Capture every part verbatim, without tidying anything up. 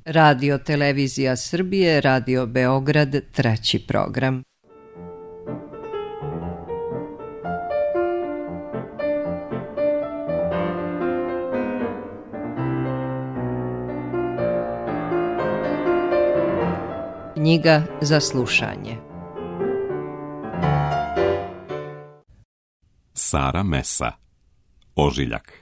Radio Televizija Srbije, Radio Beograd, treći program. Knjiga za slušanje. Sara Mesa, Ožiljak.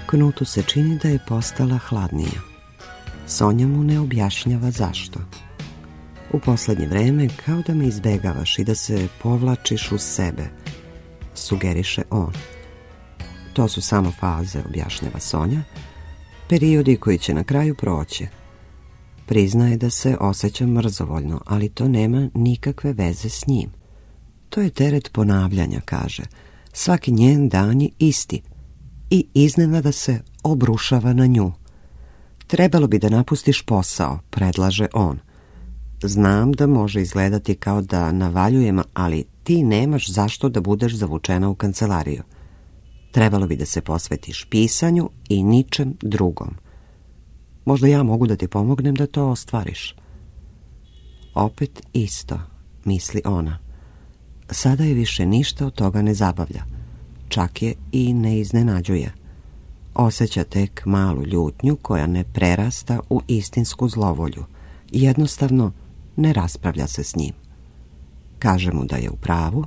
Knutu se čini da je postala hladnija. Sonja mu ne objašnjava zašto. U poslednje vreme kao da me izbegavaš i da se povlačiš uz sebe, sugeriše on. To su samo faze, objašnjava Sonja, periodi koji će na kraju proći. Priznaje da se osjeća mrzovoljno, ali to nema nikakve veze s njim. To je teret ponavljanja, kaže. Svaki njen dan je isti i iznenada se obrušava na nju. Trebalo bi da napustiš posao, predlaže on. Znam da može izgledati kao da navaljujem, ali ti nemaš zašto da budeš zavučena u kancelariju. Trebalo bi da se posvetiš pisanju i ničem drugom. Možda ja mogu da ti pomognem da to ostvariš. Opet isto, misli ona. Sada je više ništa od toga ne zabavlja. Čak je i ne iznenađuje. Osjeća tek malu ljutnju koja ne prerasta u istinsku zlovolju. Jednostavno ne raspravlja se s njim. Kaže mu da je u pravu,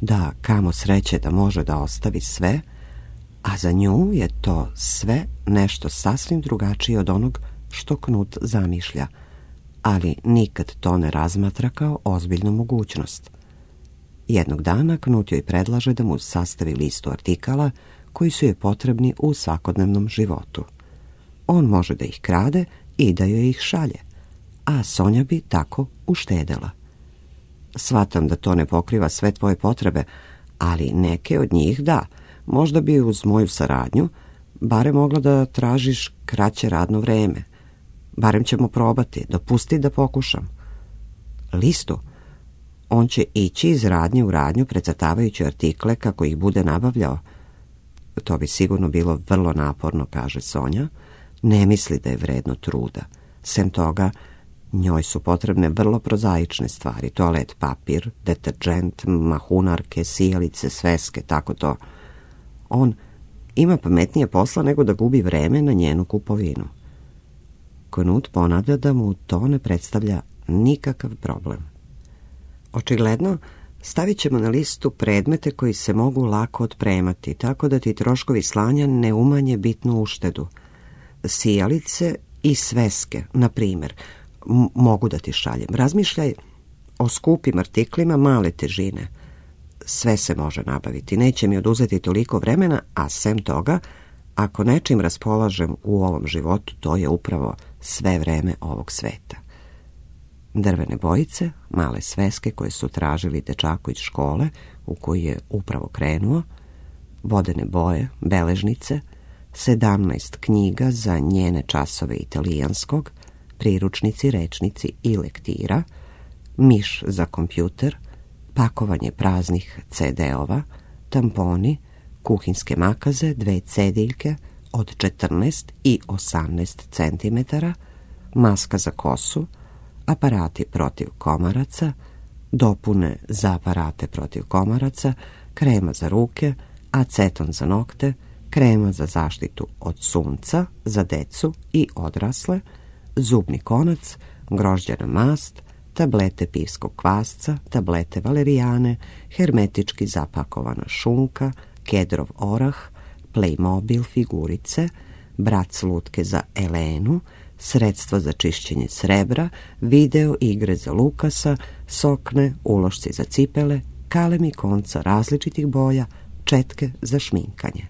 da kamo sreće da može da ostavi sve, a za nju je to sve nešto sasvim drugačije od onog što Knut zamišlja, ali nikad to ne razmatra kao ozbiljnu mogućnost. Jednog dana Knut joj predlaže da mu sastavi listu artikala koji su joj potrebni u svakodnevnom životu. On može da ih krade i da joj ih šalje, a Sonja bi tako uštedela. Shvatam da to ne pokriva sve tvoje potrebe, ali neke od njih da. Možda bi uz moju saradnju barem mogla da tražiš kraće radno vreme. Barem ćemo probati, dopusti da pokušam. Listu? On će ići iz radnje u radnju precrtavajući artikle kako ih bude nabavljao. To bi sigurno bilo vrlo naporno, kaže Sonja. Ne misli da je vredno truda. Sem toga, njoj su potrebne vrlo prozaične stvari. Toalet papir, deterđent, mahunarke, sijalice, sveske, tako to. On ima pametnije posla nego da gubi vreme na njenu kupovinu. Knut ponavlja da mu to ne predstavlja nikakav problem. Očigledno, stavit ćemo na listu predmete koji se mogu lako otpremati, tako da ti troškovi slanja ne umanje bitnu uštedu. Sijalice i sveske, na primjer, m- mogu da ti šaljem. Razmišljaj o skupim artiklima male težine. Sve se može nabaviti, neće mi oduzeti toliko vremena, a sem toga, ako nečim raspolažem u ovom životu, to je upravo sve vreme ovog sveta. Drvene bojice, male sveske koje su tražili dečaku iz škole u koju je upravo krenuo, vodene boje, beležnice, sedamnaest knjiga za njene časove italijanskog, priručnici, rečnici i lektira, miš za kompjuter, pakovanje praznih ce de-ova, tamponi, kuhinske makaze, dve cediljke od četrnaest i osamnaest centimetara, maska za kosu, aparati protiv komaraca, dopune za aparate protiv komaraca, krema za ruke, aceton za nokte, krema za zaštitu od sunca, za decu i odrasle, zubni konac, grožđana mast, tablete pivskog kvasca, tablete valerijane, hermetički zapakovana šunka, kedrov orah, Playmobil figurice, brac lutke za Elenu, sredstva za čišćenje srebra, video igre za Lukasa, sokne, ulošci za cipele, kalemi konca različitih boja, četke za šminkanje.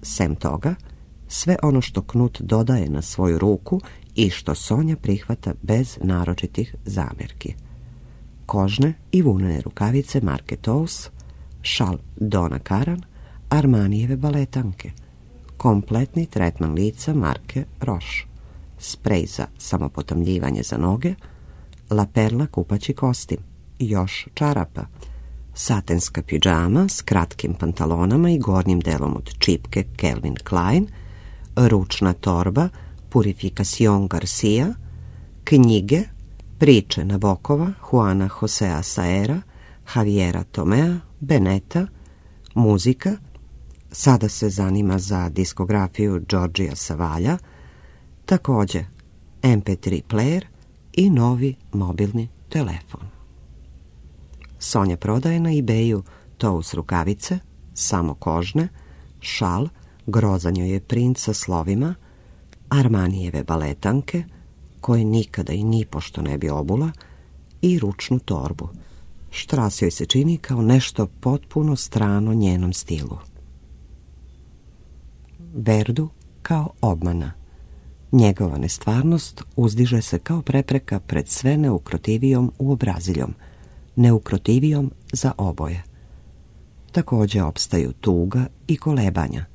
Sem toga, sve ono što Knut dodaje na svoju ruku i što Sonja prihvata bez naročitih zamjerki. Kožne i vunene rukavice marke Tous, šal Donna Karan, Armanijeve baletanke, kompletni tretman lica marke Roche, sprej za samopotamljivanje za noge, La Perla kupaći kostim, još čarapa, satenska pidžama s kratkim pantalonama i gornjim delom od čipke Calvin Klein, ručna torba Purificación Garcia, knjige, priče Nabokova, Juana Josea Saera, Javiera Tomea, Beneta, muzika, sada se zanima za diskografiju Đorđija Savalja, također em pe tri player i novi mobilni telefon. Sonja prodaje na eBayu tous rukavice, samo kožne, šal, grozan joj je print sa slovima, Armanijeve baletanke, koje nikada i nipošto ne bi obula, i ručnu torbu. Štras joj se čini kao nešto potpuno strano njenom stilu. Verdu kao obmana. Njegova nestvarnost uzdiže se kao prepreka pred sve neukrotivijom uobraziljom, neukrotivijom za oboje. Također opstaju tuga i kolebanja,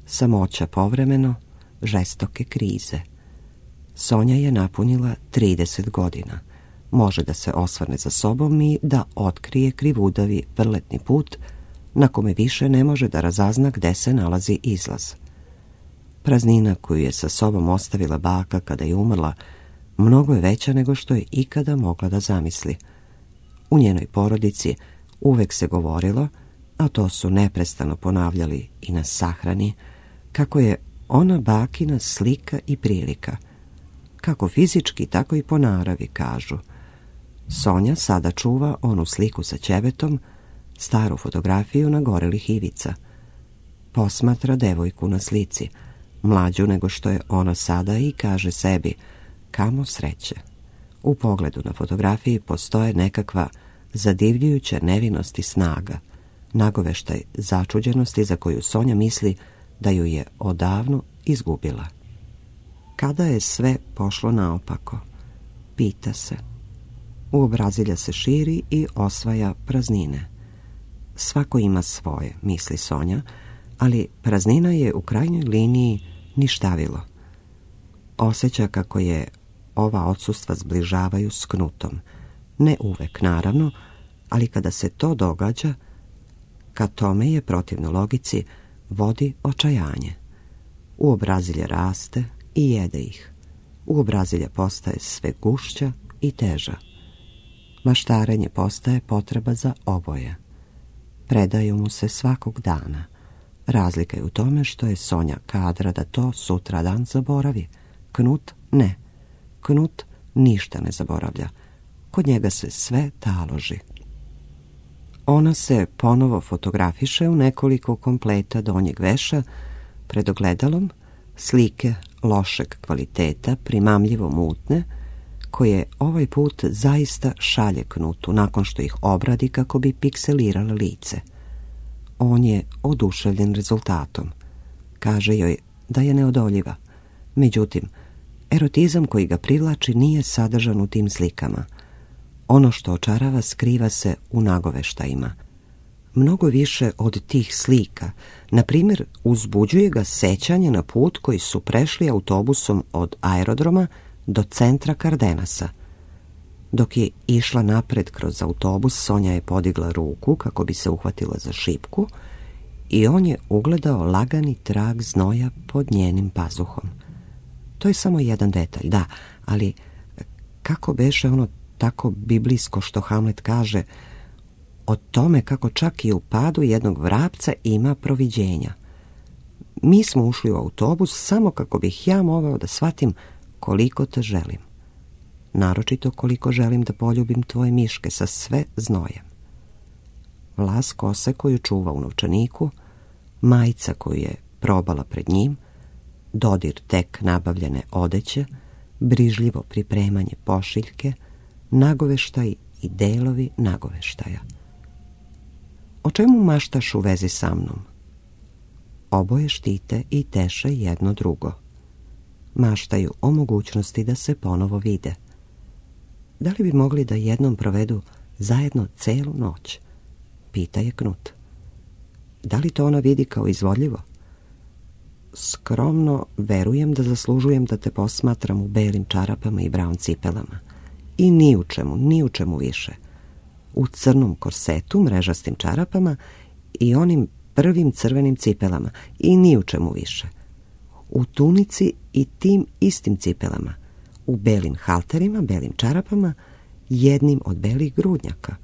samoća povremeno, žestoke krize. Sonja je napunila trideset godina. Može da se osvrne za sobom i da otkrije krivudavi vrletni put na kome više ne može da razazna gde se nalazi izlaz. Praznina koju je sa sobom ostavila baka kada je umrla mnogo je veća nego što je ikada mogla da zamisli. U njenoj porodici uvek se govorilo, a to su neprestano ponavljali i na sahrani, kako je ona bakina slika i prilika. Kako fizički, tako i po naravi, kažu. Sonja sada čuva onu sliku sa ćebetom, staru fotografiju na gorelih ivica. Posmatra devojku na slici, mlađu nego što je ona sada, i kaže sebi, kamo sreće. U pogledu na fotografiji postoje nekakva zadivljujuća nevinost i snaga, nagoveštaj začuđenosti za koju Sonja misli da ju je odavno izgubila. Kada je sve pošlo naopako? Pita se. Uobrazilja se širi i osvaja praznine. Svako ima svoje, misli Sonja, ali praznina je u krajnjoj liniji ništavilo. Osjeća kako je ova odsustva zbližavaju s Knutom. Ne uvek, naravno, ali kada se to događa, ka tome je, protivno logici, vodi očajanje. Uobrazilja raste i jede ih. Uobrazilja postaje sve gušća i teža. Maštarenje postaje potreba za oboje. Predaju mu se svakog dana. Razlika je u tome što je Sonja kadra da to sutra dan zaboravi. Knut ne. Knut ništa ne zaboravlja. Kod njega se sve taloži. Ona se ponovo fotografiše u nekoliko kompleta donjeg veša pred ogledalom, slike lošeg kvaliteta, primamljivo mutne, koje ovaj put zaista šalje Knutu nakon što ih obradi kako bi pikselirala lice. On je oduševljen rezultatom. Kaže joj da je neodoljiva. Međutim, erotizam koji ga privlači nije sadržan u tim slikama. Ono što očarava skriva se u nagoveštajima. Mnogo više od tih slika, na primjer, uzbuđuje ga sećanje na put koji su prešli autobusom od aerodroma do centra Kardenasa. Dok je išla napred kroz autobus, Sonja je podigla ruku kako bi se uhvatila za šipku i on je ugledao lagani trag znoja pod njenim pazuhom. To je samo jedan detalj, da, ali kako beše ono tako biblijsko što Hamlet kaže o tome kako čak i u padu jednog vrapca ima proviđenja. Mi smo ušli u autobus samo kako bih ja mogao da shvatim koliko te želim. Naročito koliko želim da poljubim tvoje miške sa sve znojem. Vlas kose koju čuva u novčaniku, majica koju je probala pred njim, dodir tek nabavljene odeće, brižljivo pripremanje pošiljke, nagoveštaj i delovi nagoveštaja. O čemu maštaš u vezi sa mnom? Oboje štite i teše jedno drugo. Maštaju o mogućnosti da se ponovo vide. Da li bi mogli da jednom provedu zajedno celu noć? Pita je Knut. Da li to ona vidi kao izvodljivo? Skromno verujem da zaslužujem da te posmatram u belim čarapama i brown cipelama. I ni u čemu, ni u čemu više. u crnom korsetu, mrežastim čarapama i onim prvim crvenim cipelama i ni u čemu više. U tunici i tim istim cipelama, u belim halterima, belim čarapama, jednim od belih grudnjaka,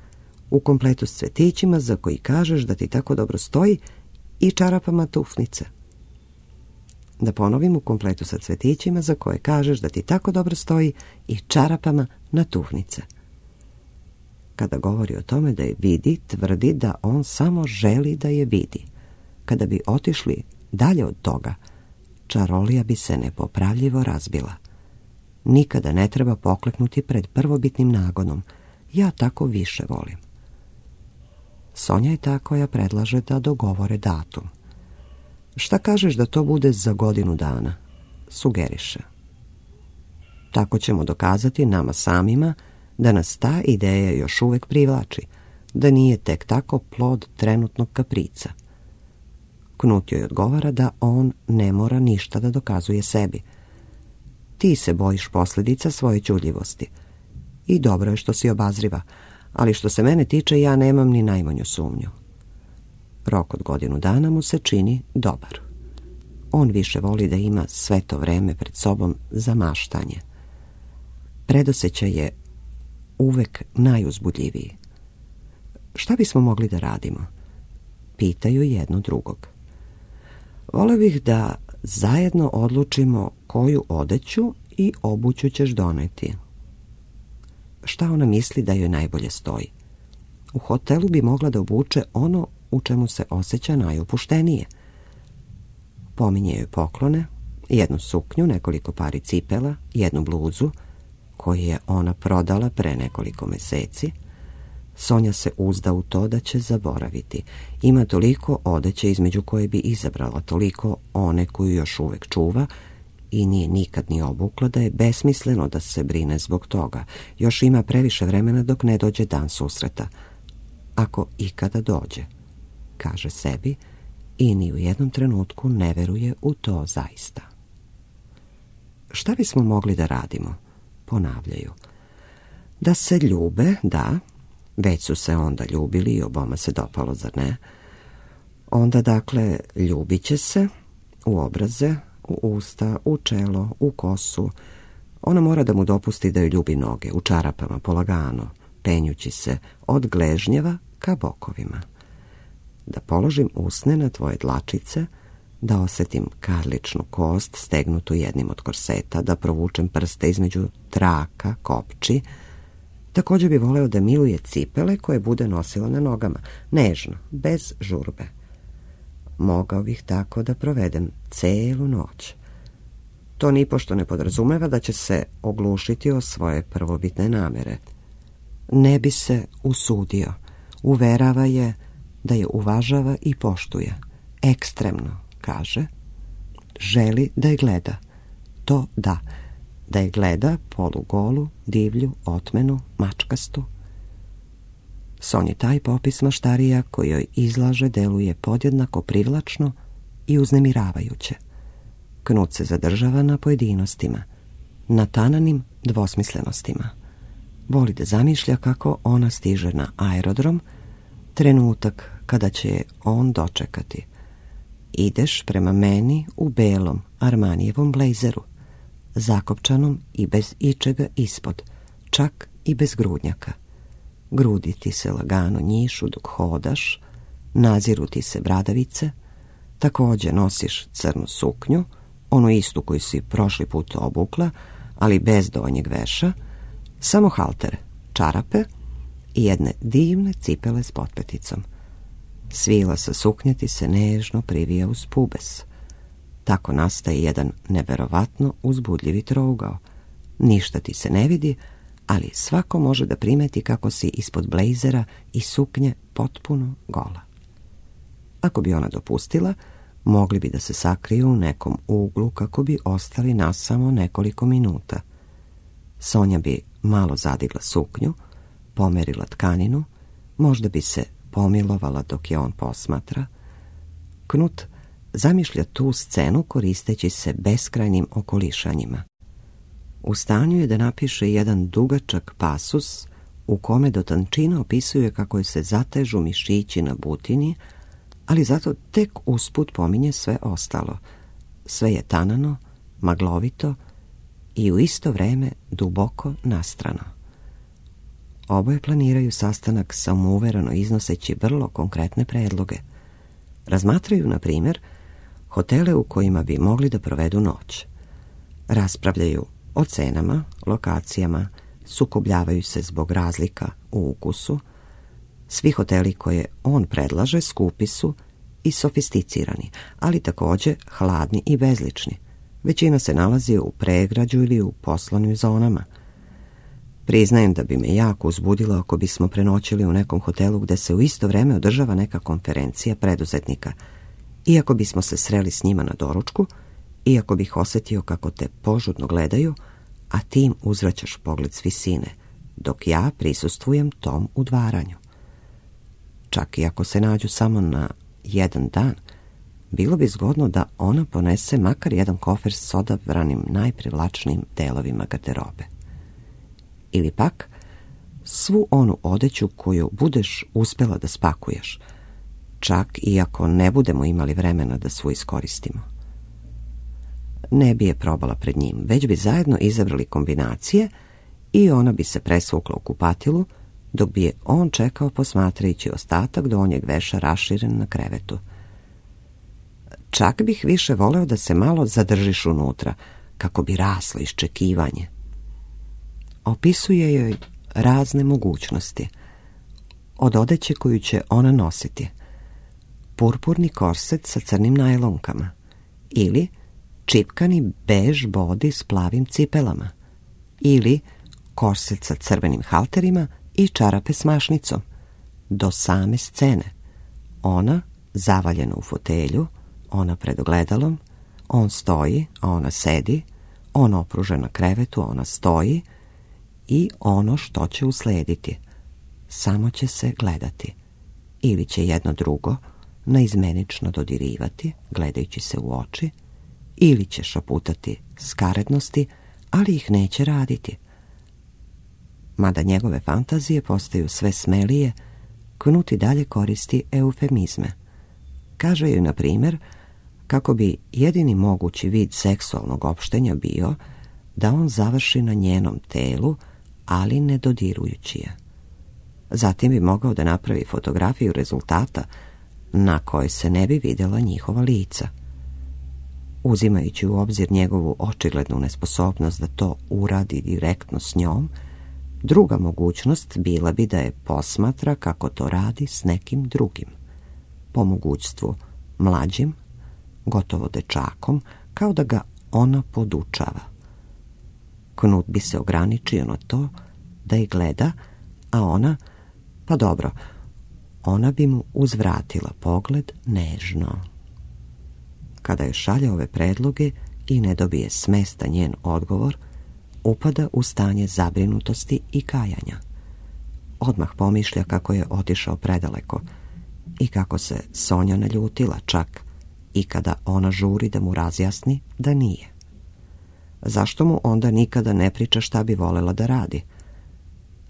u kompletu s cvetićima za koji kažeš da ti tako dobro stoji i čarapama tufnice. Da ponovim, u kompletu sa cvetićima za koje kažeš da ti tako dobro stoji i čarapama na tufnice. Kada govori o tome da je vidi, tvrdi da on samo želi da je vidi. Kada bi otišli dalje od toga, čarolija bi se nepopravljivo razbila. Nikada ne treba pokleknuti pred prvobitnim nagonom. Ja tako više volim. Sonja je ta koja predlaže da dogovore datum. Šta kažeš da to bude za godinu dana? Sugeriše. Tako ćemo dokazati nama samima da nas ta ideja još uvek privlači, da nije tek tako plod trenutnog kaprica. Knut joj odgovara da on ne mora ništa da dokazuje sebi. Ti se bojiš posljedica svoje ćudljivosti. I dobro je što si obazriva, ali što se mene tiče ja nemam ni najmanju sumnju. Rok od godinu dana mu se čini dobar. On više voli da ima sve to vreme pred sobom za maštanje. Predosjećaj je uvek najuzbudljiviji. Šta bismo mogli da radimo? Pitaju jedno drugog. Vole bih da zajedno odlučimo koju odeću i obuću ćeš doneti. Šta ona misli da joj najbolje stoji? U hotelu bi mogla da obuče ono u čemu se osjeća najopuštenije. Pominje joj poklone, jednu suknju, nekoliko pari cipela, jednu bluzu, koju je ona prodala pre nekoliko meseci. Sonja se uzda u to da će zaboraviti. Ima toliko odeće između koje bi izabrala, toliko one koju još uvek čuva i nije nikad ni obukla, da je besmisleno da se brine zbog toga. Još ima previše vremena dok ne dođe dan susreta. Ako ikada dođe, kaže sebi, i ni u jednom trenutku ne veruje u to zaista. Šta bismo mogli da radimo? Ponavljaju. Da se ljube, da, već su se onda ljubili i oboma se dopalo, zar ne? Onda, dakle, ljubit će se u obraze, u usta, u čelo, u kosu. Ona mora da mu dopusti da joj ljubi noge, u čarapama, polagano, penjući se od gležnjeva ka bokovima. Da položim usne na tvoje dlačice, da osjetim karličnu kost stegnutu jednim od korseta, da provučem prste između traka, kopči. Također bi voleo da miluje cipele koje bude nosila na nogama, nežno, bez žurbe. Mogao bih tako da provedem celu noć. To nipošto ne podrazumeva da će se oglušiti o svoje prvobitne namere. Ne bi se usudio. Uverava je da je uvažava i poštuje. Ekstremno, kaže. Želi da je gleda. To da. Da je gleda polugolu, divlju, otmenu, mačkastu. Sonji taj popis maštarija koji joj izlaže deluje podjednako privlačno i uznemiravajuće. Knut se zadržava na pojedinostima, na tananim dvosmislenostima. Voli da zamišlja kako ona stiže na aerodrom, trenutak kada će je on dočekati. Ideš prema meni u belom Armanijevom blejzeru, zakopčanom i bez ičega ispod, čak i bez grudnjaka. Grudi ti se lagano njišu dok hodaš, naziru ti se bradavice, također nosiš crnu suknju, onu istu koju si prošli put obukla, ali bez donjeg veša, samo haltere, čarape i jedne divne cipele s potpeticom. Svila sa suknje ti se nežno privija uz pubes. Tako nastaje jedan neverovatno uzbudljivi trougao. Ništa ti se ne vidi, ali svako može da primeti kako si ispod blejzera i suknje potpuno gola. Ako bi ona dopustila, mogli bi da se sakriju u nekom uglu kako bi ostali nas samo nekoliko minuta. Sonja bi malo zadigla suknju, pomerila tkaninu, možda bi se pomilovala dok je on posmatra. Knut zamišlja tu scenu koristeći se beskrajnim okolišanjima. U stanju je da napiše jedan dugačak pasus u kome do tančina opisuje kako je se zatežu mišići na butini, ali zato tek usput pominje sve ostalo. Sve je tanano, maglovito i u isto vreme duboko nastrano. Oboje planiraju sastanak samouvereno iznoseći vrlo konkretne predloge. Razmatraju, na primjer, hotele u kojima bi mogli da provedu noć. Raspravljaju o cenama, lokacijama, sukobljavaju se zbog razlika u ukusu. Svi hoteli koje on predlaže skupi su i sofisticirani, ali također hladni i bezlični. Većina se nalazi u pregrađu ili u poslovnim zonama. Priznajem da bi me jako uzbudilo ako bismo prenoćili u nekom hotelu gde se u isto vreme održava neka konferencija preduzetnika. Iako bismo se sreli s njima na doručku, iako bih osjetio kako te požudno gledaju, a ti im uzvraćaš pogled s visine, dok ja prisustvujem tom udvaranju. Čak i ako se nađu samo na jedan dan, bilo bi zgodno da ona ponese makar jedan kofer s odabranim najprivlačnijim delovima garderobe. Ili pak svu onu odeću koju budeš uspjela da spakuješ, čak i ako ne budemo imali vremena da svu iskoristimo. Ne bi je probala pred njim, već bi zajedno izabrali kombinacije i ona bi se presvukla u kupatilu, dok bi je on čekao posmatrajući ostatak donjeg veša raširen na krevetu. Čak bih više voleo da se malo zadržiš unutra, kako bi raslo iščekivanje. Opisuje joj razne mogućnosti. Od odeće koju će ona nositi. Purpurni korset sa crnim najlonkama. Ili čipkani bež bodi s plavim cipelama. Ili korset sa crvenim halterima i čarape s mašnicom. Do same scene. Ona zavaljena u fotelju, ona pred ogledalom, on stoji, a ona sedi, on opružen na krevetu, ona stoji, i ono što će uslediti. Samo će se gledati. Ili će jedno drugo naizmenično dodirivati, gledajući se u oči, ili će šaputati skarednosti, ali ih neće raditi. Mada njegove fantazije postaju sve smelije, Knut i dalje koristi eufemizme. Kaže joj, na primjer, kako bi jedini mogući vid seksualnog opštenja bio da on završi na njenom telu, ali ne dodirujući je. Zatim bi mogao da napravi fotografiju rezultata na kojoj se ne bi vidjela njihova lica. Uzimajući u obzir njegovu očiglednu nesposobnost da to uradi direktno s njom, druga mogućnost bila bi da je posmatra kako to radi s nekim drugim. Po mogućstvu mlađim, gotovo dečakom, kao da ga ona podučava. Knut bi se ograničio na to da ih gleda, a ona, pa dobro, ona bi mu uzvratila pogled nežno. Kada je šalje ove predloge i ne dobije smesta njen odgovor, upada u stanje zabrinutosti i kajanja. Odmah pomišlja kako je otišao predaleko i kako se Sonja naljutila, čak i kada ona žuri da mu razjasni da nije. Zašto mu onda nikada ne priča šta bi volela da radi?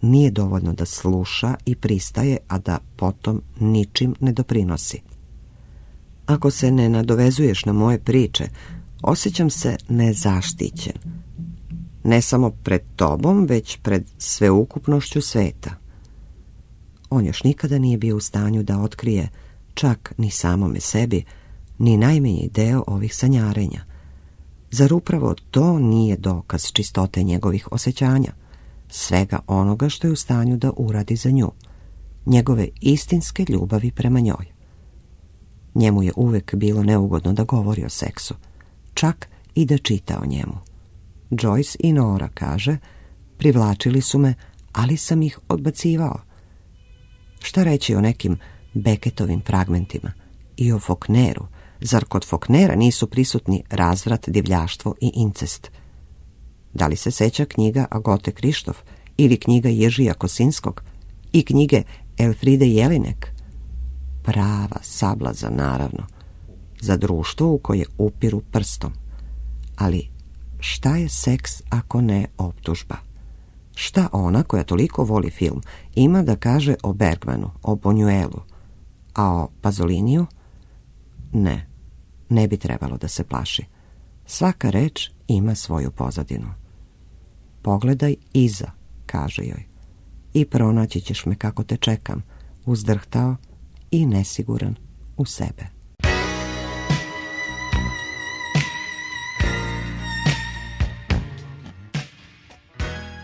Nije dovoljno da sluša i pristaje, a da potom ničim ne doprinosi. Ako se ne nadovezuješ na moje priče, osjećam se nezaštićen. Ne samo pred tobom, već pred sveukupnošću sveta. On još nikada nije bio u stanju da otkrije, čak ni samome sebi, ni najmanji deo ovih sanjarenja. Zar upravo to nije dokaz čistote njegovih osjećanja, svega onoga što je u stanju da uradi za nju, njegove istinske ljubavi prema njoj? Njemu je uvek bilo neugodno da govori o seksu, čak i da čita o njemu. Joyce i Nora, kaže, privlačili su me, ali sam ih odbacivao. Šta reći o nekim Beckettovim fragmentima i o Faulkneru? Zar kod Faulknera nisu prisutni razvrat, divljaštvo i incest? Da li se seća knjiga Agote Krištof ili knjiga Ježija Kosinskog i knjige Elfride Jelinek? Prava sablaza, naravno, za društvo u koje upiru prstom. Ali šta je seks ako ne optužba? Šta ona, koja toliko voli film, ima da kaže o Bergmanu, o Buñuelu, a o Pazoliniju? Ne, ne bi trebalo da se plaši. Svaka reč ima svoju pozadinu. Pogledaj iza, kaže joj, i pronaći ćeš me kako te čekam, uzdrhtao i nesiguran u sebe.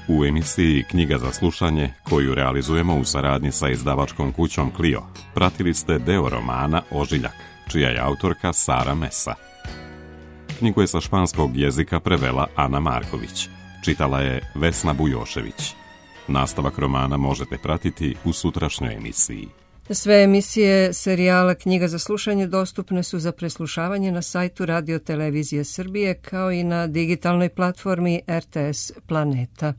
U emisiji Knjiga za slušanje, koju realizujemo u saradnji sa izdavačkom kućom Clio, pratili ste deo romana Ožiljak, čija je autorka Sara Mesa. Knjigu je sa španskog jezika prevela Ana Marković, čitala je Vesna Bujošević. Nastavak romana možete pratiti u sutrašnjoj emisiji. Sve emisije serijala Knjiga za slušanje dostupne su za preslušavanje na sajtu Radio Televizije Srbije kao i na digitalnoj platformi R T S Planeta.